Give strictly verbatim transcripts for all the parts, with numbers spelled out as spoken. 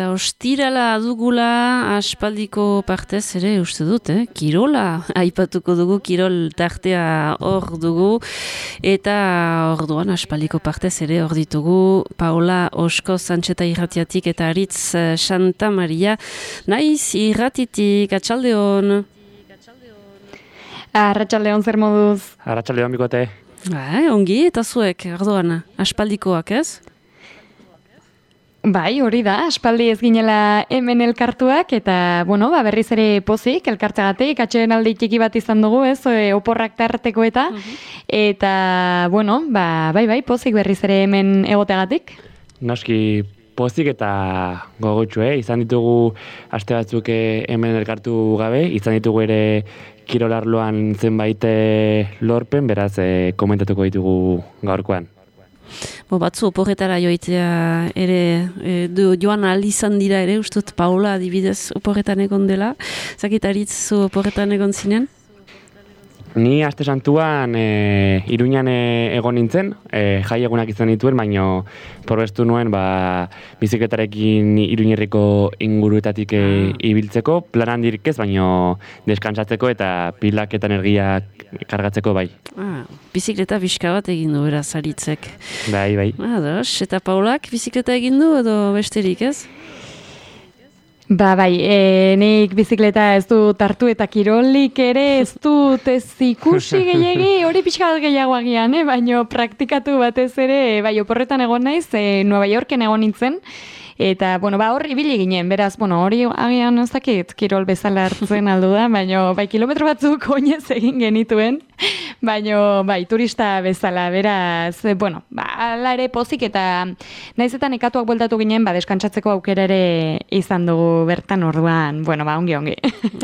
eta ostirala dugula aspaldiko partez ere uste dut, eh? Kirola, aipatuko dugu, kirol tartea hor dugu, eta orduan aspaldiko partez ere hor ditugu Paola Osko Santxeta irratiatik eta Aritz Santa Maria naiz irratitik, atxaldeon. Arratxaldeon zer moduz? Arratxaldeon bikote. Bai, ongi, eta zuek, orduan, aspaldikoak ez? Bai, hori da, aspaldi ez ginela hemen elkartuak, eta, bueno, ba, berriz ere pozik, elkartzagatik, atxeen aldi txiki bat izan dugu, ez, e, oporrak tarteko eta, uh-huh. eta, bueno, ba, bai, bai, pozik berriz ere hemen egoteagatik. Noski pozik eta gogotxu, eh? Izan ditugu aste batzuk hemen elkartu gabe, izan ditugu ere kirolarloan zenbait lorpen, beraz, eh, komentatuko ditugu gaurkoan. Bo, batzu oporretara joitea ere e, du, joan ahal izan dira ere, ustut Paula adibidez oporretan egon dela. Zakitaritz zu oporretan egon zinen? Ni aste santuan e, Iruñan e, egon nintzen, e, jai egunak izan dituen, baino probestu nuen ba, bizikletarekin Iruñerriko inguruetatik e, ibiltzeko, plan handirik ez, baino deskantsatzeko eta pilak eta energia kargatzeko bai. Ah, bizikleta bizka bat egin du beraz Aritzek. Bai, bai. Ados, eta Paulak bizikleta egin du edo besterik ez? Ba, bai, e, nik bizikleta ez dut hartu eta kirolik ere ez dut ez ikusi gehiagi, hori pixka bat gehiago agian, eh? Baina praktikatu batez ere, bai, oporretan egon naiz, e, Nueva Yorken egon nintzen, eta, bueno, ba, hor ibili ginen, beraz, bueno, hori agian ez dakit kirol bezala hartzen aldu da, baina, bai, kilometro batzuk oinez egin genituen, baina, bai, turista bezala, beraz, bueno, ba, ala ere pozik eta naizetan ekatuak bueltatu ginen, ba, deskantsatzeko aukera ere izan dugu bertan orduan, bueno, ba, ongi, ongi.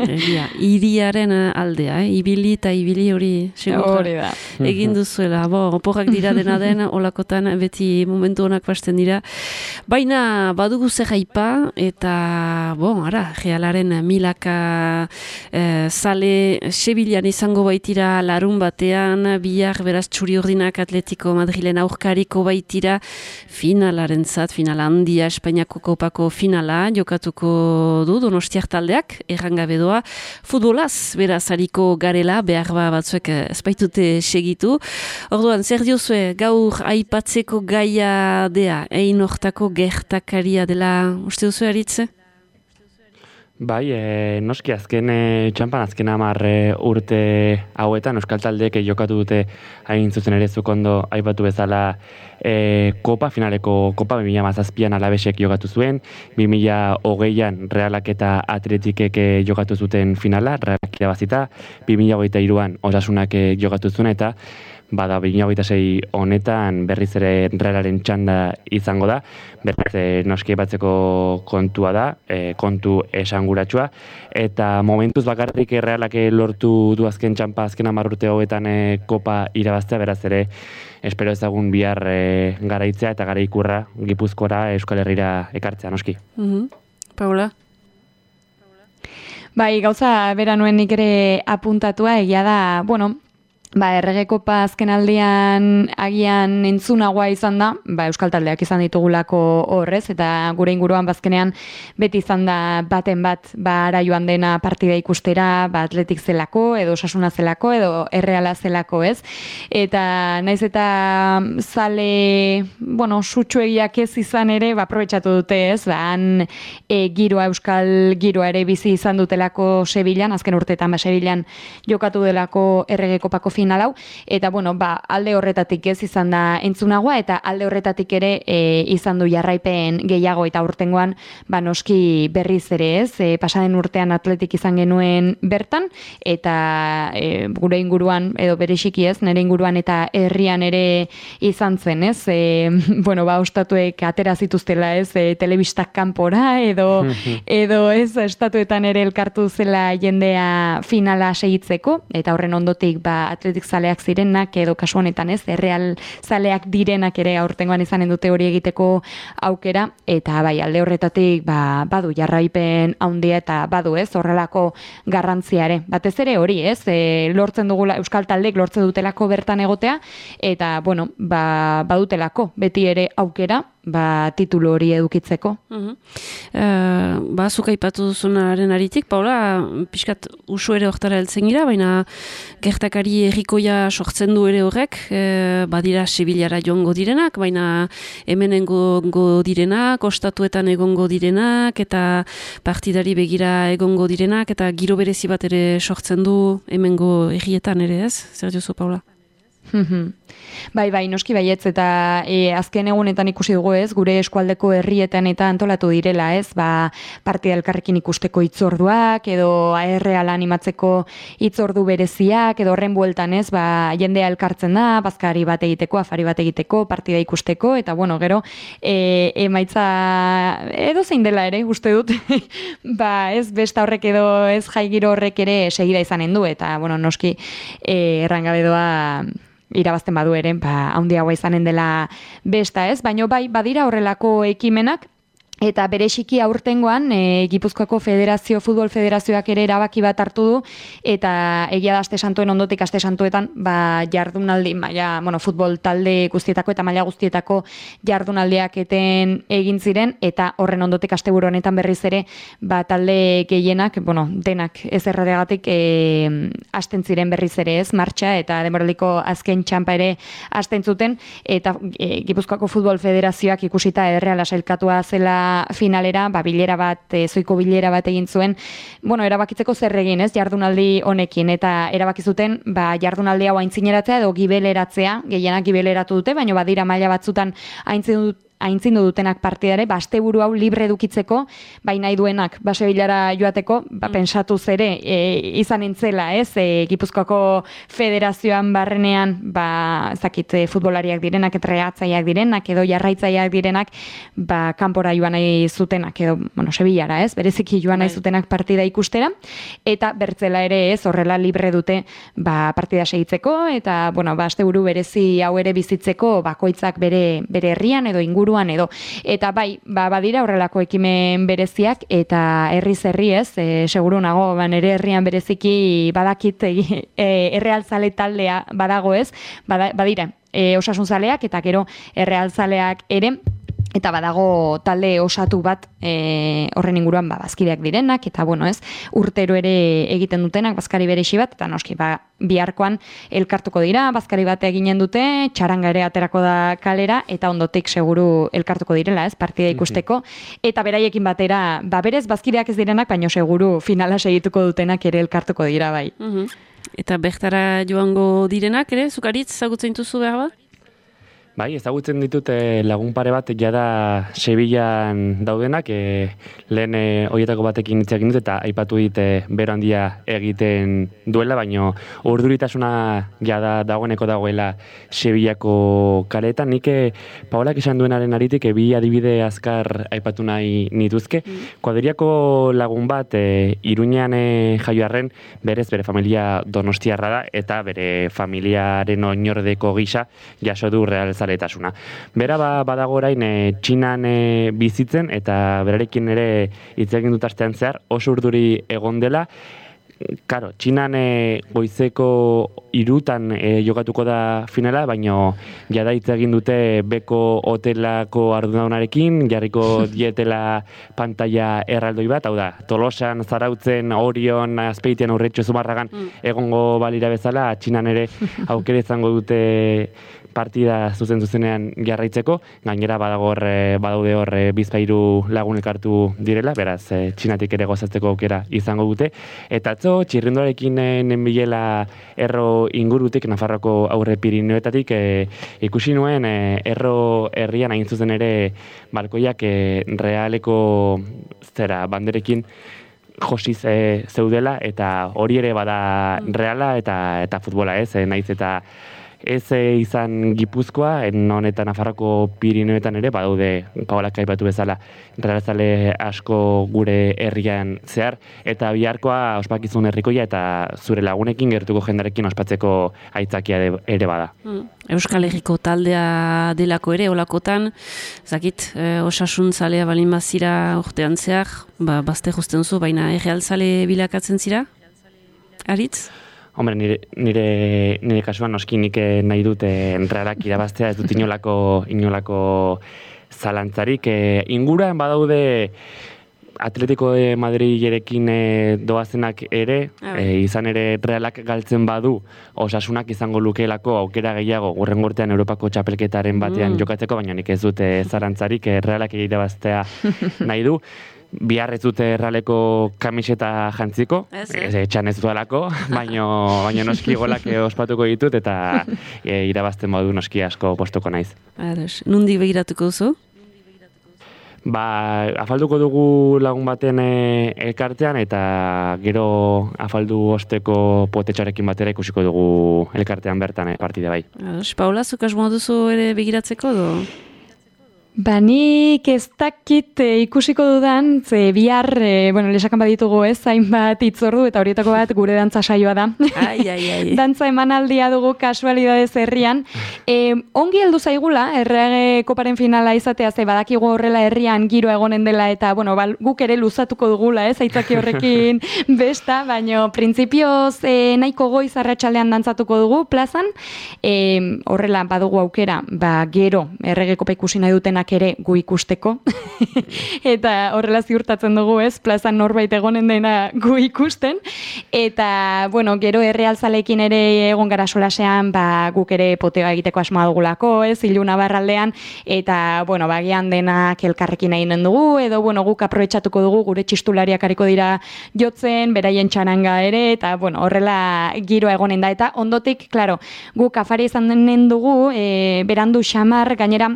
Egia, iriaren aldea, eh? Ibili eta ibili hori hori da. Egin duzuela, bo, oporrak dira dena den, olakotan beti momentu honak pasten dira, baina, badugu zer aipa, eta, bon, ara, Realaren milaka eh, zale Sevillan izango baitira larun batean, bihar beraz txuri urdinak Atletico Madrilen aurkariko baitira finalaren zat, final handia Espainiako kopako finala, jokatuko du Donostiar taldeak, errangabe doa, futbolaz beraz hariko garela, behar ba batzuek ezbaitute segitu. Orduan, zer diozue, gaur aipatzeko gaia dea, ein hortako gertakaria dela, uste duzu Aritze? Bai, e, noski azken e, txampan azken hamar e, urte hauetan euskal taldeek jokatu dute hain zuzen ere zuk ondo aipatu bezala e, kopa, finaleko kopa bi mila hamazazpian Alabesek jokatu zuen, bi mila hogeian Realak eta Atletikek e, jokatu zuten finala, Realak irabazita, bi mila hogeita hiruan Osasunak e, jokatu zuen eta bada bi mila hogeita sei honetan berriz ere Realaren txanda izango da, berriz e, noski batzeko kontua da, e, kontu esanguratsua, eta momentuz bakarrik Realak lortu du azken txampa azken hamar urte hauetan e, kopa irabaztea, beraz ere espero ezagun bihar e, garaitzea eta garaikurra Gipuzkoara Euskal Herrira ekartzea noski. Mm-hmm. Paula? Bai, gauza bera nuen nik ere apuntatua, egia da, bueno, ba, errege kopa azken aldean agian entzunagoa izan da, ba, euskal taldeak izan ditugulako horrez, eta gure inguruan bazkenean beti izan da baten bat, ba, ara joan dena partida ikustera, ba, Atletik zelako, edo Osasuna zelako, edo Erreala zelako, ez? Eta naiz eta zale, bueno, sutsuegiak ez izan ere, ba, aprobetxatu dute, ez? Ba, han e, giroa, euskal giroa ere bizi izan dutelako Sevillan, azken urteetan, ba, Sevillan jokatu delako errege kopako final hau, eta bueno, ba, alde horretatik ez izan da entzunagoa, eta alde horretatik ere e, izan du jarraipen gehiago, eta urtengoan ba, noski berriz ere ez, e, pasaden urtean Atletik izan genuen bertan, eta e, gure inguruan, edo bereziki ez, nire inguruan eta herrian ere izan zen, ez, e, bueno, ba, ostatuek atera zituztela, ez, e, telebistak kanpora, edo, edo ez, estatuetan ere elkartu zela jendea finala segitzeko, eta horren ondotik, ba, Atletik zaleak zirenak, edo kasu honetan ez, Erreal zaleak direnak ere aurtengoan izanen dute hori egiteko aukera, eta bai, alde horretatik ba, badu jarraipen handia eta badu ez, horrelako garrantzia ere. Batez ere hori ez, e, lortzen dugula, euskal taldek lortzen dutelako bertan egotea, eta bueno, ba, badutelako beti ere aukera, ba, titulu hori edukitzeko. Uh-huh. Uh, ba, zuk aipatu duzunaren aritik, Paula, pixkat usu ere hortara heltzen gira, baina gertakari errikoia sortzen du ere horrek, uh, badira Sevillara joango direnak, baina hemen egongo direnak, ostatuetan egongo direnak, eta partidari begira egongo direnak, eta giro berezi bat ere sortzen du hemengo errietan ere, ez? Zer diozu, Paula? Bai, bai, noski baietz, eta e, azken egunetan ikusi dugu ez, gure eskualdeko herrietan eta antolatu direla ez, ba, partida elkarrekin ikusteko hitzorduak, edo erreala animatzeko hitzordu bereziak, edo horren bueltan ez, ba, jendea elkartzen da, bazkari bat egiteko, afari bat egiteko, partida ikusteko, eta bueno, gero, e, emaitza edo zein dela ere, uste dut, ba, ez, besta horrek edo ez jaigiro horrek ere segida izanen du, eta bueno, noski e, errangabe doa irabazten badu ere, ba, handiagoa izanen dela besta ez, baino bai, badira horrelako ekimenak, eta bereziki aurtengoan e, Gipuzkoako Federazio, Futbol Federazioak ere erabaki bat hartu du, eta egia da aste santuen ondotik aste santuetan ba, jardunaldi, maila, bueno, futbol talde guztietako eta maila guztietako jardunaldiak eten egin ziren, eta horren ondotik asteburu honetan berriz ere ba, talde gehienak, bueno, denak ez erradegatik e, hasten ziren berriz ere ez, martxa, eta denboraldiko azken txanpa ere hasten zuten, eta e, Gipuzkoako Futbol Federazioak ikusita erreala sailkatua zela finalera, ba, bilera bat, e, zoiko bilera bat egin zuen, bueno, erabakitzeko zer egin, ez, jardunaldi honekin, eta erabaki zuten, ba, jardunaldi hau aintzineratzea edo gibeleratzea, gehienak gibeleratu dute, baina badira maila batzutan aintzin dut aintzindu dutenak partidare, ba, asteburu hau libre edukitzeko, bai nahi duenak, ba, Sevillara joateko, ba, pensatu zere, e, izan entzela, ez, e, Gipuzkoako Federazioan barrenean, ba, zakit, e, futbolariak direnak, entreatzaileak direnak, edo jarraitzaileak direnak, ba, kanpora joan nahi zutenak, edo, bueno, Sevillara, ez, bereziki joan nahi zutenak partida ikustera, eta bertzela ere, ez, horrela libre dute, ba, partida segitzeko, eta, bueno, ba, asteburu berezi hau ere bizitzeko, bakoitzak bere, bere herrian, edo inguruan, edo. Eta bai, ba, badira horrelako ekimen bereziak, eta herriz herri ez, e, seguru nago, ba, nire herrian bereziki badakit e, errealzale taldea badago ez, bada, badira, e, osasunzaleak, eta gero errealzaleak ere, eta badago talde osatu bat e, horren inguruan ba, bazkideak direnak, eta bueno ez, urtero ere egiten dutenak, bazkari berexi bat, eta noski, ba, biharkoan elkartuko dira, bazkari bat eginen dute, txaranga ere aterako da kalera, eta ondotik seguru elkartuko direla, ez, partida ikusteko, eta beraiekin batera, ba, berez bazkideak ez direnak, baino seguru finala segituko dutenak ere elkartuko dira, bai. Uh-huh. Eta bertara joango direnak ere, zukaritz ezagutzen dituzu behar bat? Bai, ezagutzen ditut eh, lagun pare bat jada Sevillan daudenak, eh, lehen eh, horietako batekin hitz egin dut eta aipatu dit eh, bero handia egiten duela, baino urduritasuna jada dagoeneko dagoela Sevillako kaleetan. Nik eh, Paolak esan duenaren aritik eh, bi adibide azkar aipatu nahi nituzke. Mm. Kuadriako lagun bat eh, Iruñean eh, jaioarren berez bere familia donostiarra da eta bere familiaren oinordeko gisa jaso du Real Zaletasuna. Bera ba, badago orain e, Txinan e, bizitzen eta berarekin ere hitz egin dut astean zehar oso urduri egon dela. Karo, Txinan e, goizeko irutan e, jokatuko da finala, baino jada hitz egin dute beko hotelako ardunadunarekin, jarriko dietela pantalla erraldoi bat, hau da, Tolosan, Zarautzen, Orion, Azpeitian, Urretxo, Zumarragan mm. egongo balira bezala, Txinan ere aukera izango dute partida zuzen zuzenean jarraitzeko, gainera badago hor, badaude hor bizpairu lagun elkartu direla, beraz Txinatik ere gozatzeko aukera izango dute, eta atzo txirrindoarekin nenbilela erro ingurutik, Nafarroko aurre Pirinioetatik, e, ikusi nuen e, erro herrian hain zuzen ere balkoiak e, realeko zera banderekin josiz e, zeudela, eta hori ere bada reala eta eta futbola ez, e, naiz eta ez izan Gipuzkoa, non eta Nafarroko Pirinioetan ere, badaude Paolak aipatu bezala realzale asko gure herrian zehar, eta biharkoa ospakizun herrikoia eta zure lagunekin gertuko jendarekin ospatzeko aitzakia ere bada. Mm. Euskal Herriko taldea delako ere, olakotan, zakit, e, osasun zalea balin bazira urtean zehar, ba, bazte justen zu, baina errealzale bilakatzen zira? Aritz? Hombre, nire, nire, nire kasuan noski nik nahi dute realak irabaztea, ez dut inolako, inolako zalantzarik. E, inguruan badaude Atletico de Madriderekin e, doazenak ere, e, izan ere Realak galtzen badu, Osasunak izango lukeelako aukera gehiago hurrengo urtean Europako txapelketaren batean mm. jokatzeko, baina nik ez dute zalantzarik, e, Realak irabaztea nahi du. Bihar ez dute Realeko kamiseta jantziko, ez, ez etxan ez duelako, baina baino noski golak ospatuko ditut eta e, irabazten badu noski asko postuko naiz. Ados, nundi begiratuko duzu? Ba, afalduko dugu lagun baten e, elkartean eta gero afaldu osteko potetxarekin batera ikusiko dugu elkartean bertan e, partide bai. Ados, Paula, zuk asmoa duzu ere begiratzeko do? Ba, nik ez dakit e, ikusiko dudan, ze bihar, e, bueno, lesakan baditugu ez, hainbat itzordu, eta horietako bat gure dantza saioa da. Ai, ai, ai. Dantza emanaldia dugu kasualidadez herrian. E, ongi heldu zaigula, errege koparen finala izatea, ze badakigu horrela herrian giro egonen dela, eta, bueno, bal, guk ere luzatuko dugula, ez, aitzaki horrekin besta, baino, printzipioz e, nahiko goiz arratsalean dantzatuko dugu plazan, e, horrela badugu aukera, ba, gero, errege kopa ikusi nahi dutenak ere gu ikusteko eta horrela ziurtatzen dugu ez, plazan norbait egonen dena gu ikusten eta bueno, gero errealzalekin ere egon gara solasean ba, guk ere potega egiteko asmoa dugulako ez, Iluna barraldean eta bueno, bagian denak elkarrekin eginen dugu edo bueno, guk aprobetxatuko dugu gure txistulariak hariko dira jotzen, beraien txaranga ere eta bueno, horrela giro egonen da eta ondotik, claro, guk afari izan denen dugu e, berandu xamar gainera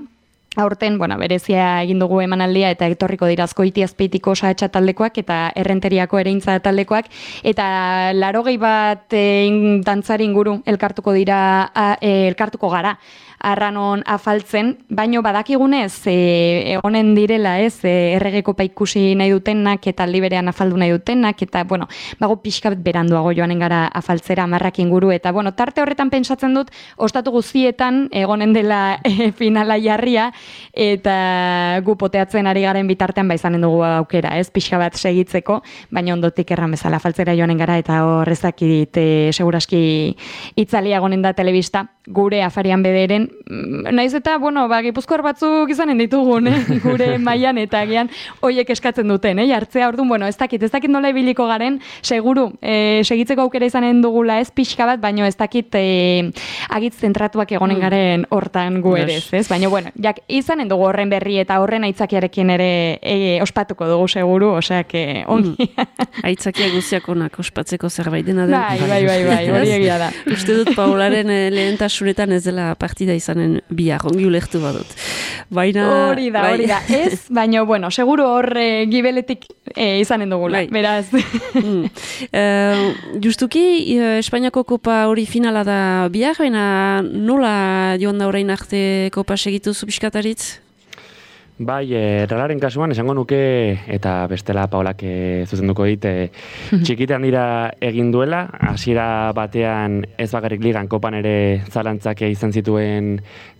aurten, bueno, berezia egin dugu emanaldia eta etorriko dira Azkoiti Azpeitiko saetxa taldekoak eta Errenteriako Ereintza taldekoak eta larogei bat e, dantzari inguru elkartuko dira a, e, elkartuko gara arranon afaltzen, baino badakigunez e, egonen direla ez e, erregekopa ikusi nahi dutenak eta aldi berean afaldu nahi dutenak eta bueno, bago pixka bat beranduago joanen gara afaltzera amarrak inguru eta bueno, tarte horretan pentsatzen dut ostatu guztietan egonen dela e, finala jarria eta gu poteatzen ari garen bitartean baizanen dugu aukera, ez pixka bat segitzeko, baina ondotik erran bezala afaltzera joanen gara eta horrezakit e, seguraski itzalia egonen da telebista gure afarian bederen naiz eta, bueno, ba, gipuzkoar batzuk izanen ditugun, eh? Gure mailan eta agian hoiek eskatzen duten, eh? Jartzea, orduan, bueno, ez dakit, ez dakit nola ibiliko garen, seguru, eh, segitzeko aukera izanen dugula ez pixka bat, baino ez dakit eh, agitz zentratuak egonen garen hortan gu ere, ez? Baina, bueno, jak, izanen dugu horren berri eta horren aitzakiarekin ere e, ospatuko dugu seguru, osea, que ongi. Aitzakia guziak onak ospatzeko zerbait dena den. Bai, bai, bai, bai, hori egia da. Uste dut Paularen lehentasunetan ez dela partida izanen bihar, ongi ulertu badut. Baina... Hori da, hori da. Ez, baina, bueno, seguro hor e, gibeletik e, izanen dugula, bai. Beraz. mm. uh, justuki, uh, Espainiako kopa hori finala da bihar, baina nola joan da orain arte kopa segitu zubizkataritz? Bai, e, Realaren kasuan esango nuke, eta bestela Paulak e, zuzenduko dit, e, txikitean dira egin duela, hasiera batean ez bakarrik ligan kopan ere zalantzak izan zituen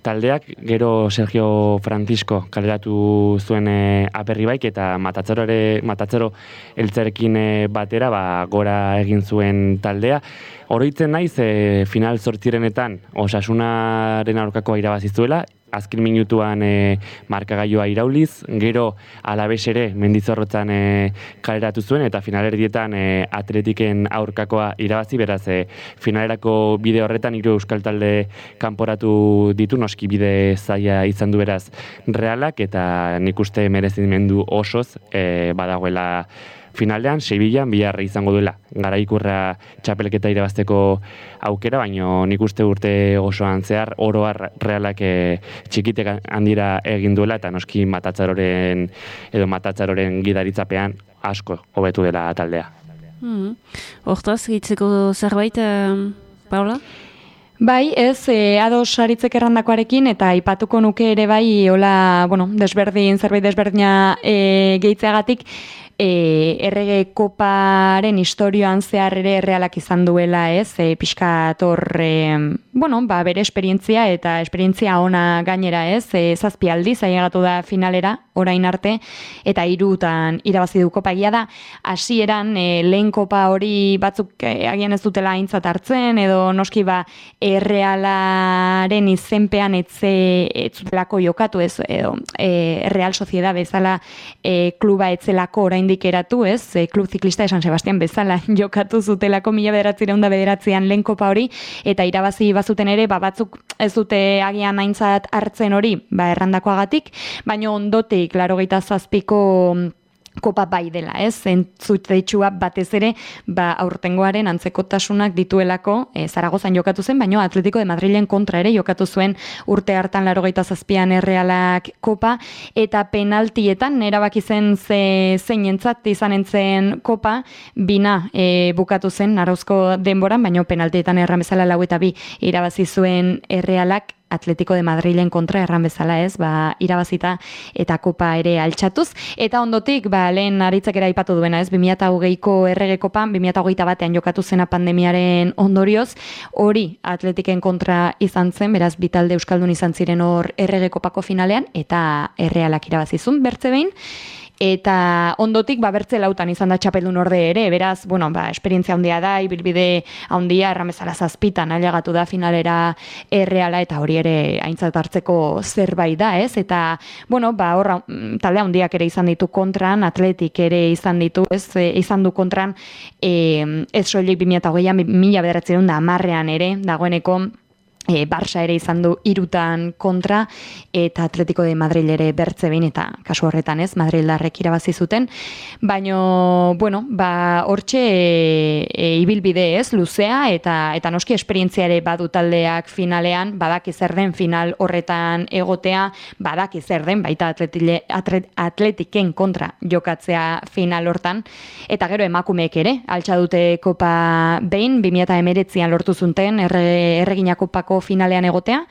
taldeak, gero Sergio Francisco kaleratu zuen e, aperri baik, eta Matatzero ere, Matatzero eltzerekin e, batera, ba, gora egin zuen taldea. Oroitzen naiz, e, final zortzirenetan Osasunaren aurkakoa irabazizuela, azken minutuan e, markagailua irauliz, gero Alabes ere Mendizorrotzan e, kaleratu zuen, eta finalerdietan e, Atletiken aurkakoa irabazi, beraz e, finalerako bide horretan hiru euskal talde kanporatu ditu, noski bide zaila izan du beraz Realak, eta nik uste merezimendu osoz e, badagoela finalean, Sevillan bihar izango duela garaikurra txapelketa irabazteko aukera, baino nik uste urte osoan zehar oroar Realak e, txikitek handira egin duela eta noski Matatzaroren edo Matatzaroren gidaritzapean asko hobetu dela taldea. Mm. Hortaz, gehitzeko zerbait, uh, Paula? Bai, ez, e, ados aritzek errandakoarekin, eta aipatuko nuke ere bai, hola, bueno, desberdin, zerbait desberdina e, gehitzeagatik, e, errege koparen historioan zehar ere Realak izan duela, ez, e, pixkat hor, e, bueno, ba, bere esperientzia eta esperientzia ona gainera, ez, e, zazpi aldiz ailegatu da finalera, orain arte, eta hirutan irabazi du kopa. Egia da, hasieran e, lehen kopa hori batzuk e, agian ez dutela aintzat hartzen, edo noski ba Errealaren izenpean etze etzutelako jokatu, ez, edo e, Real Sociedad bezala e, kluba etzelako oraindik eratu, ez, e, klub ziklista de San Sebastián bezala jokatu zutelako mila bederatziehun eta bederatzian lehen kopa hori, eta irabazi bazuten ere, ba, batzuk ez dute agian aintzat hartzen hori, ba, errandakoagatik, baina ondotik, laurogeita zazpiko kopa bai dela, ez? Zentzutetxua batez ere, ba, aurtengoaren antzekotasunak dituelako, e, Zaragozan jokatu zen, baina Atletico de Madrilen kontra ere jokatu zuen urte hartan laurogeita zazpian Errealak kopa, eta penaltietan erabaki zen ze, zeinentzat izan entzen kopa, bina e, bukatu zen arauzko denboran, baina penaltietan erran bezala lau eta bi irabazi zuen Errealak Atletico de Madrilen kontra erran bezala, ez, ba, irabazita eta kopa ere altxatuz. Eta ondotik, ba, lehen aritzak ere aipatu duena, ez, bi mila hogeiko errege kopan, bi mila hogeita batean jokatu zena pandemiaren ondorioz, hori Atletiken kontra izan zen, beraz, bitalde euskaldun izan ziren hor errege kopako finalean, eta Errealak irabazizun, bertze behin. Eta ondotik, ba, bertze lautan izan da txapeldun orde ere, beraz, bueno, ba, esperientzia handia da, ibilbide handia, erramezala zazpitan, ailegatu da finalera Erreala, eta hori ere aintzat hartzeko zerbait da, ez? Eta, bueno, ba, horra, talde handiak ere izan ditu kontran, Atletik ere izan ditu, ez? E, izan du kontran, e, ez soilik bi mila hogeian, mila bederatziehun da hamarrean ere, dagoeneko, E, Barça ere izan du irutan kontra, eta Atletico de Madrid ere bertze behin, eta kasu horretan, ez, Madrildarrek irabazi zuten, baino, bueno, ba, hortxe e, e, ibilbide, ez, luzea, eta eta noski esperientzia ere badu taldeak finalean, badaki zer den final horretan egotea, badaki zer den baita atletile, atlet, Atletiken kontra jokatzea final hortan, eta gero emakumeek ere, altxa dute kopa behin, bi mila hemeretzian lortu zuten, erre, erregina kopako finalean egotea,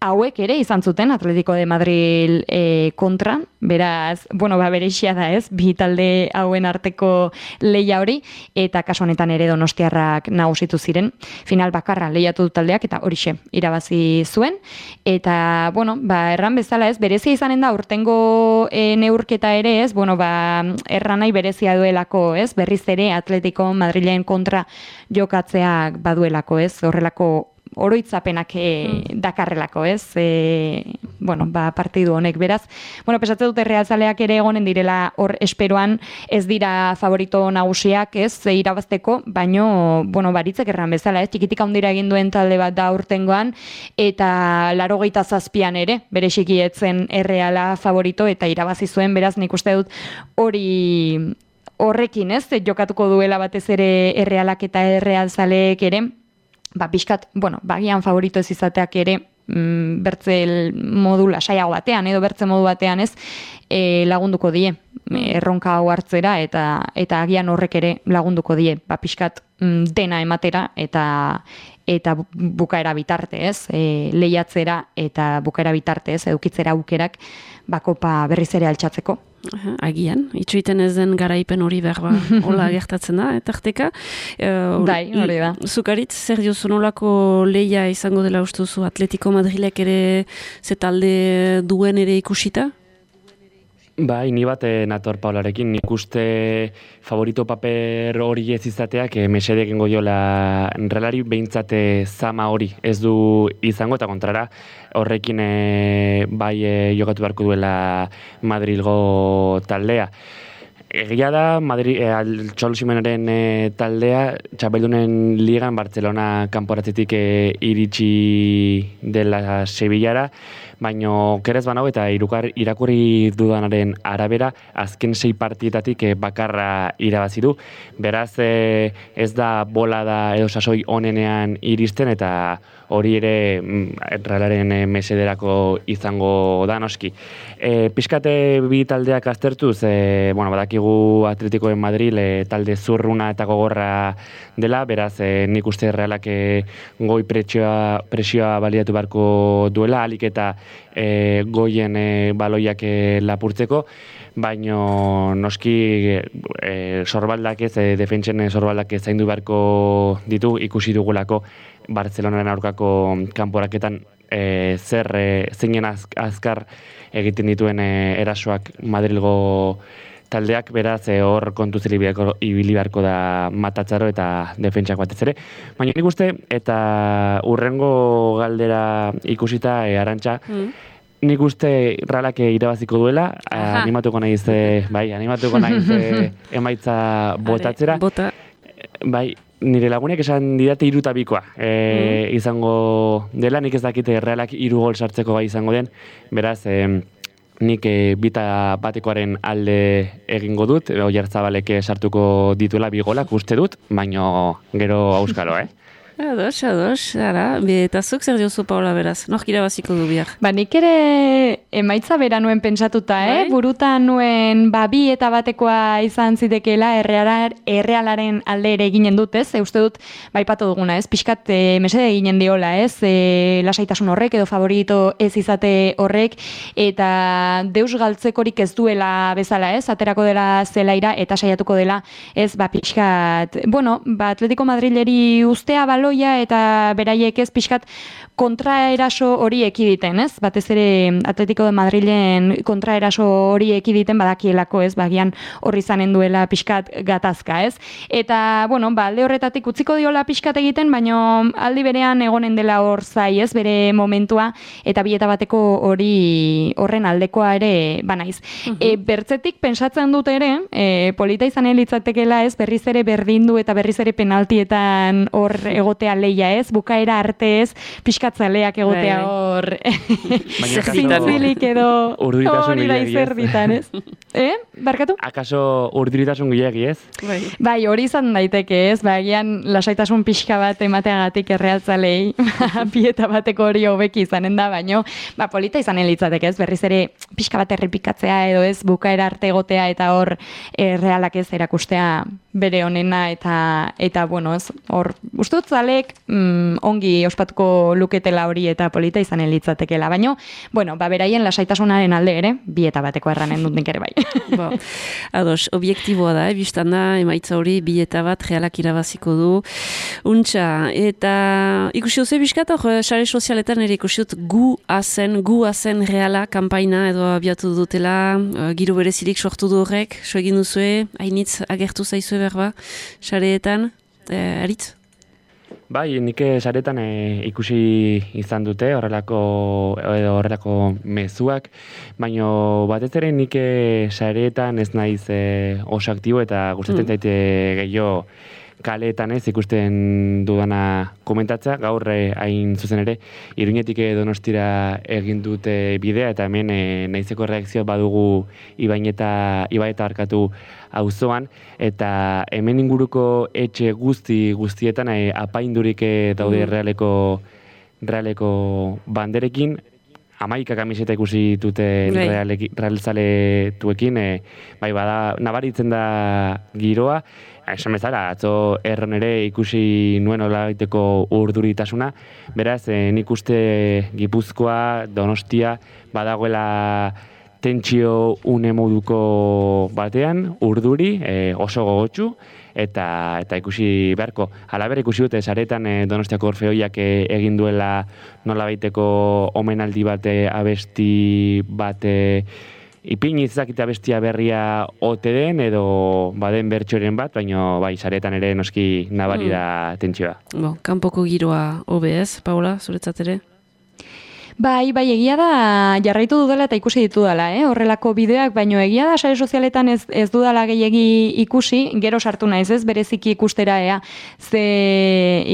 hauek ere izan zuten Atletico de Madrid e, kontra, beraz, bueno, ba, bereixia da, ez, bi talde hauen arteko leia hori, eta kasu honetan ere Donostiarrak nagusitu ziren, final bakarra lehiatu du taldeak, eta horixe irabazi zuen, eta, bueno, ba, erran bezala, ez, berezia izanen da, urtengo e, neurketa ere, ez, bueno, ba, erranai berezia duelako, ez, berriz ere Atletico Madrilen kontra jokatzeak baduelako, ez, horrelako oroitzapenak e, dakarrelako, ez? E, bueno, ba, partidu honek, beraz. Bueno, pesatze dute realzaleak ere egonen direla hor esperoan, ez dira favorito nagusiak, ez? E, irabazteko, baino, bueno, baritzek erran bezala, ez? Txikitik handira egin duen talde bat da urtengoan, eta laurogeita zazpian ere, bere xikietzen Erreala favorito, eta irabazi zuen, beraz, nik uste dut hori horrekin, ez? Jokatuko duela batez ere Errealak eta Errealzaleek ere, ba, pixkat, bueno, bagian favorito ez izateak ere, mm, bertze modu lasaiago batean, edo bertze modu batean ez, e, lagunduko die, erronka hau hartzera, eta eta agian horrek ere lagunduko die, ba, pixkat mm, dena ematera, eta eta bukaera bitarte, ez, e, lehiatzera, eta bukaera bitarte, ez, edukitzera aukerak, bakopa berriz ere altxatzeko. Agian, itxoiten ez den garaipen hori behar ba, hola gertatzen da, etarteka. Uh, Dai, hori da. Zukaritz, zer diozu nolako leia izango dela ustuzu Atletico Madrilek ere ze talde duen ere ikusita? Bai, ni bat nator Paularekin, nik uste favorito paper hori ez izateak e, mesedek ingo jola relari behintzate zama hori ez du izango, eta kontrara horrekin e, bai e, jokatu beharko duela Madrilgo taldea. Egia da, Madrid, e, Txolo Simenaren e, taldea, txapeldunen ligan Barcelona kanporatzetik e, iritsi dela Sevillara, baino kerez banau eta irukar, irakurri dudanaren arabera, azken sei partietatik e, bakarra irabazi du. Beraz, e, ez da bola da edo sasoi onenean iristen, eta hori ere Realaren e, mesederako izango da noski. E, Piskate bi taldeak aztertuz, e, bueno, badakigu Atletico de Madrid e, talde zurruna eta gogorra dela, beraz, e, nik uste Realak e, goi presioa, presioa baliatu beharko duela, alik eta e, goien e, baloiak e, lapurtzeko, baino noski e, sorbaldak ez, e, defentsen sorbaldak ez zaindu beharko ditu, ikusi dugulako Bartzelonaren aurkako kanporaketan e, zer e, zeinen az, azkar egiten dituen e, erasoak Madrilgo taldeak, beraz e, hor kontuz ibili beharko da Matatzaro eta defentsak batez ere. Baina nik uste, eta urrengo galdera ikusita e, Arantxa, mm. nik uste Realak irabaziko duela, Aha. animatuko naiz, e, bai, animatuko naiz e, emaitza botatzera. Bota. Bai, nire lagunek esan didate hiru bikoa e, mm. izango dela, nik ez dakite Realak hiru gol sartzeko gai izango den, beraz, e, nik e, bita batekoaren alde egingo dut, Oyarzabalek sartuko dituela bi golak uste dut, baino gero auskalo, eh? Ados, ados, ara, eta zuk zer diozu Paula beraz, nork irabaziko du bihar? Ba, nik ere emaitza bera nuen pentsatuta, eh? Burutan nuen ba, bi eta batekoa izan zitekela errealar, errealaren alde ere eginen dut, ez? E, uste dut, baipatu duguna, ez? Piskat e, mesede eginen diola, ez? E, lasaitasun horrek edo favorito ez izate horrek, eta deus galtzekorik ez duela bezala, ez? Aterako dela zelaira eta saiatuko dela, ez? Ba, piskat, bueno, ba, Atletico Madrileri ustea baloia eta beraiek ez pixkat kontraeraso hori ekiditen, ez? Batez ere Atletico de Madrilen kontraeraso hori ekiditen badakielako, ez? Bagian horri izanen duela pixkat gatazka, ez? Eta, bueno, ba, alde horretatik utziko diola pixkat egiten, baino aldi berean egonen dela hor zai, ez? Bere momentua, eta bi eta bateko hori horren aldekoa ere banaiz. Uh-huh. E, bertzetik pentsatzen dut ere, e, polita izan litzatekeela, ez? Berriz ere berdindu eta berriz ere penaltietan hor egotea leia, ez? Bukaera arte, ez? Piskatzaleak egotea hor zintzilik edo hori da izerditan, ez? Eh? Barkatu? Akaso urduritasun gehiagi, ez? Bai. Bai, hori izan daiteke, ez? Ba, agian lasaitasun pixka bat emateagatik errealtzalei pieta bateko hori hobeki izanen da, baino, ba, polita izanen litzateke, ez? Berriz ere pixka bat errepikatzea edo ez, bukaera arte egotea eta hor errealak ez erakustea bere honena eta, eta bueno, ez? Hor, uste dut zalek mm, ongi ospatuko luketela hori eta polita izanen litzatekela, baino, bueno, ba, beraien lasaitasunaren alde ere, bi eta bateko erranen dut nik ere bai. Bo, ados, objektiboa da, ebistan da, emaitza hori, bi eta bat Realak irabaziko du. Untxa, eta ikusi duzu ebiskat, hor, sare sozialetan ere ikusi dut gu azen, gu azen Reala kanpaina edo abiatu dutela, uh, giro berezirik sortu du horrek, so egin duzue, hainitz agertu zaizue berba, sareetan, eh, aritz? Bai, nik saretan e, ikusi izan dute horrelako edo horrelako mezuak, baino batez ere nik saretan ez naiz e, oso aktibo eta gustatzen mm. zaite gehiago kaleetan ez ikusten dudana komentatzea, gaur e, hain zuzen ere Iruñetik Donostira egin dute bidea eta hemen e, naizeko reakzioa badugu Ibaineta Ibaeta arkatu auzoan eta hemen inguruko etxe guzti guztietan e, apaindurik e, daude mm. realeko realeko banderekin hamaika kamiseta ikusi dute realzaletuekin, e, bai bada nabaritzen da giroa. Esan bezala, atzo erron ere ikusi nuen olaiteko urduritasuna. Beraz, e, nik uste Gipuzkoa, Donostia, badagoela tentsio une moduko batean, urduri, e, oso gogotsu, eta eta ikusi beharko. Halaber ikusi dute saretan e, Donostiako Orfeoiak e, egin duela nolabaiteko omenaldi bate abesti bate ipini ezakite abestia berria ote den edo baden bertsoren bat, baina bai saretan ere noski nabari da mm. tentsioa. Bo, kanpoko giroa hobe ez, Paula, zuretzat ere? Bai, bai, egia da jarraitu dudala eta ikusi ditudala, eh? Horrelako bideoak, baino egia da sare sozialetan ez, ez dudala gehiegi ikusi, gero sartu naiz ez, bereziki ikustera ea ze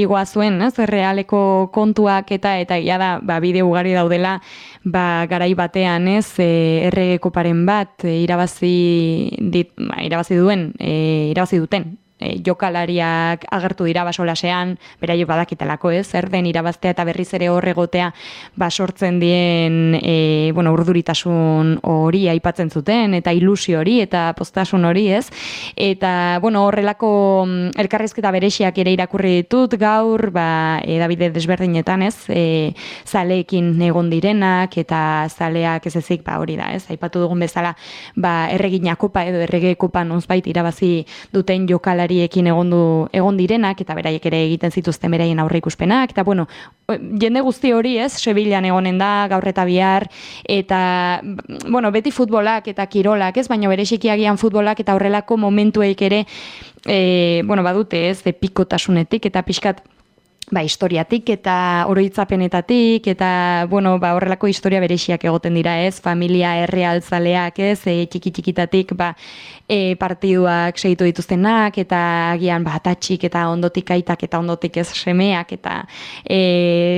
igoa zuen, ez, realeko kontuak eta eta egia da, ba, bideo ugari daudela, ba, garai batean, ez, e, errege koparen bat, e, irabazi, dit, ba, irabazi duen, e, irabazi duten, e, jokalariak agertu dira basolasean, beraio badakitelako ez, zer den irabaztea eta berriz ere hor egotea basortzen dien e, bueno, urduritasun hori aipatzen zuten, eta ilusio hori, eta postasun hori ez, eta bueno, horrelako elkarrizketa berexiak ere irakurri ditut gaur, ba, edabide desberdinetan ez, e, zaleekin egon direnak, eta zaleak ez ezik, ba, hori da ez, aipatu dugun bezala, ba, erregina kopa edo errege kopa nonzbait irabazi duten jokalariekin egon, du, egon direnak, eta beraiek ere egiten zituzten beraien aurreikuspenak, eta bueno, jende guzti hori ez, Sevillan egonen da, gaur eta bihar, eta bueno, beti futbolak eta kirolak ez, baina bereziki agian futbolak eta horrelako momentueik ere, e, bueno, badute ez, de pikotasunetik eta pixkat, ba, historiatik eta oroitzapenetatik eta, bueno, ba, horrelako historia berexiak egoten dira, ez, familia errealtzaleak, ez, e, txiki-txikitatik, ba, e, partiduak segitu dituztenak, eta agian, ba, tatxik eta ondotik aitak eta ondotik ez semeak, eta e,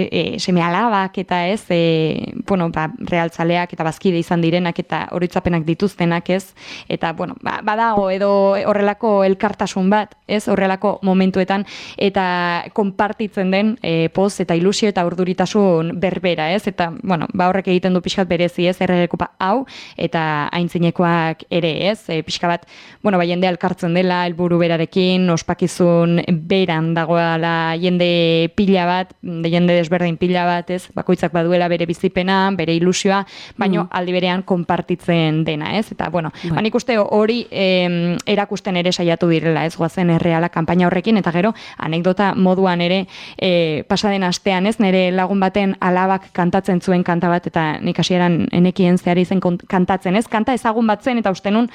e, seme alabak, eta ez, e, bueno, ba, realtzaleak eta bazkide izan direnak, eta oroitzapenak dituztenak, ez, eta, bueno, ba, badago edo horrelako elkartasun bat, ez, horrelako momentuetan, eta konpartitzen den e, poz eta ilusio eta urduritasun berbera, ez? Eta, bueno, ba horrek egiten du pixkat berezi, ez? Errege kopa hau, eta aintzinekoak ere, ez? E, pixka bat, bueno, ba, jende alkartzen dela, helburu berarekin, ospakizun beran dagoela jende pila bat, jende desberdin pila bat, ez? Bakoitzak baduela bere bizipena, bere ilusioa, baino mm. aldi berean konpartitzen dena, ez? Eta, bueno, bai. Ba, nik uste hori eh, erakusten ere saiatu direla, ez? Goazen erreala kanpaina horrekin, eta gero, anekdota moduan ere, E, pasaden astean, ez, nire lagun baten alabak kantatzen zuen kanta bat, eta nik hasieran enekien zehari zen kantatzen, ez, kanta ezagun bat zen, eta uste nun,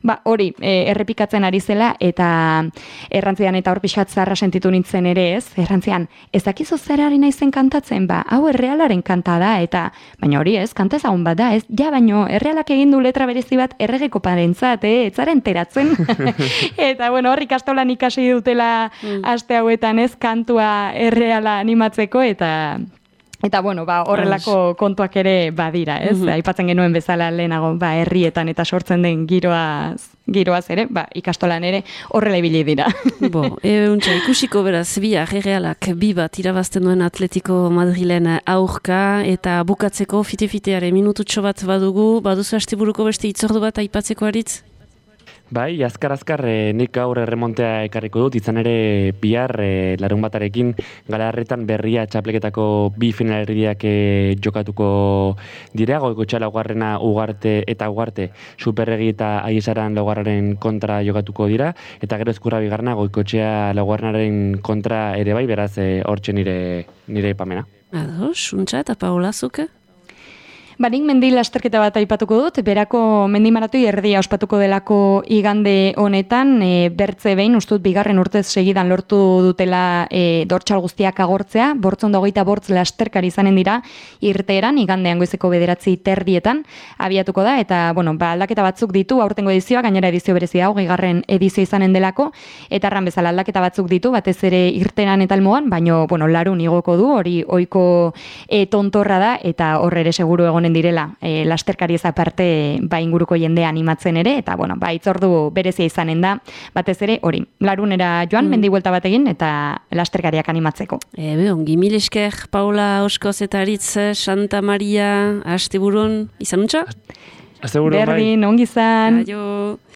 ba, hori, e, errepikatzen ari zela, eta errantzian eta hor pixat zarra sentitu nintzen ere, ez, errantzian, ez dakizu zer ari naizen kantatzen, ba, hau errealaren kanta da, eta, baina hori ez, kanta ezagun bat da, ez, ja, baino, errealak egin du letra berezi bat erregeko parentzat, eh, etzaren teratzen, eta, bueno, hor ikastolan ikasi dutela mm. aste hauetan, ez, kantua erreala animatzeko, eta eta bueno, ba, horrelako kontuak ere badira, ez? Mm-hmm. Aipatzen genuen bezala lehenago, ba, herrietan eta sortzen den giroaz, giroaz ere, ba, ikastolan ere horrela ibili dira. Bo, e, untxa, ikusiko beraz, bihar errealak bi bat irabazten duen Atletico Madrilen aurka, eta bukatzeko fite-fiteare minututxo bat badugu, baduzu asteburuko beste itzordu bat aipatzeko aritz? Bai, azkar-azkar e, nik gaur erremontea ekarriko dut, izan ere bihar e, larun batarekin Galarretan berria txapleketako bi finalerdiak e, jokatuko dira, Goikoetxea laugarrena Ugarte eta Ugarte Superregi eta Aiesaran laugarraren kontra jokatuko dira, eta gero Ezkurra bigarrena Goikoetxea laugarrenaren kontra ere bai, beraz e, hortxe nire, nire ipamena. Ados, untxa eta Paola zuke? Barik mendi lasterketa bat aipatuko dut, berako mendi maratoi erdia ospatuko delako igande honetan, e, bertze behin, ustut bigarren urtez segidan lortu dutela e, dortxal guztiak agortzea, bortzon hogeita bortz lasterkari izanen dira, irteeran, igandean goizeko bederatzi terdietan, abiatuko da, eta, bueno, ba, aldaketa batzuk ditu, aurtengo edizioa, gainera edizio berezi hau, gigarren edizio izanen delako, eta arran bezala aldaketa batzuk ditu, batez ere irteeran eta almoan, baino, bueno, larun igoko du, hori ohiko e, tontorra da, eta horre ere seguru egon direla, e, lasterkari ez aparte ba inguruko jendea animatzen ere, eta bueno, ba itzordu berezia izanen da, batez ere hori, larunera joan, mm. mendi buelta bat egin, eta lasterkariak animatzeko. Ebe, ongi mil esker, Paula Oskoz eta Aritz, Santa Maria, asteburun, izan untxa? Asteburun, bai. Berdin, ongi izan. Aio.